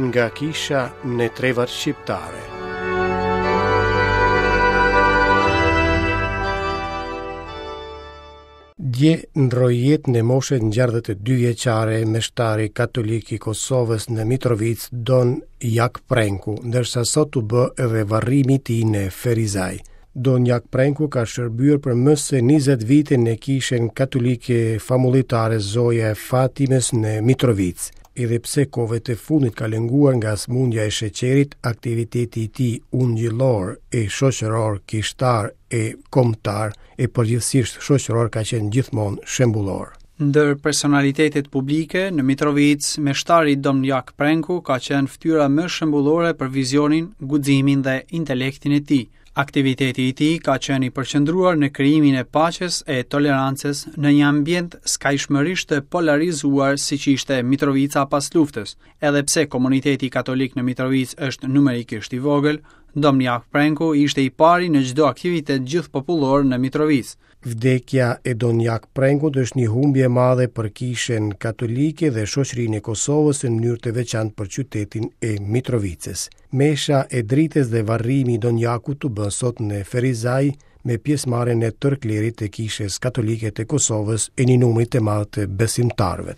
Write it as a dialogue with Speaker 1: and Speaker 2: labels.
Speaker 1: Nga kisha në trevat shqiptare. Dje ndërroi jetë në moshën 62 vjeçare meshtari katolik i Kosovës në Mitrovicë, Don Jak Prenku, ndërsa sot u bë edhe varrimi i tij në Ferizaj. Don Jak Prenku ka shërbyer për më se 20 vite në kishën katolike famullitare Zoja e Fatimës në Mitrovicë. Edhe pse kohëve të fundit ka lënguar nga sëmundja e sheqerit, aktiviteti i tij ungjillor e shoqëror, kishtar e kombëtar e përgjithësisht shoqëror ka qenë gjithmonë shembullor.
Speaker 2: Ndër personalitetet publike në Mitrovicë, meshtari Dom Jak Prenku ka qenë fytyra më shembullore për vizionin, guximin dhe intelektin e tij. Aktiviteti i tij ka qenë i përqendruar në krijimin e paqes e tolerancës në një ambient skajshmërisht të polarizuar siç ishte Mitrovica pas luftës. Edhe pse komuniteti katolik në Mitrovicë është numerikisht i vogël, Dom Jak Prenku ishte i pari në çdo aktivitet gjithëpopullor në Mitrovicë.
Speaker 1: Vdekja e Don Jak Prenkut është një humbje e madhe për Kishën Katolike dhe shoqërinë e Kosovës në mënyrë të veçantë për qytetin e Mitrovicës. Mesha e dritës dhe varrimi i Don Jakut u bë sot në Ferizaj me pjesëmarrjen e tërë klerit të Kishës Katolike të Kosovës e një numri të madh të besimtarëve.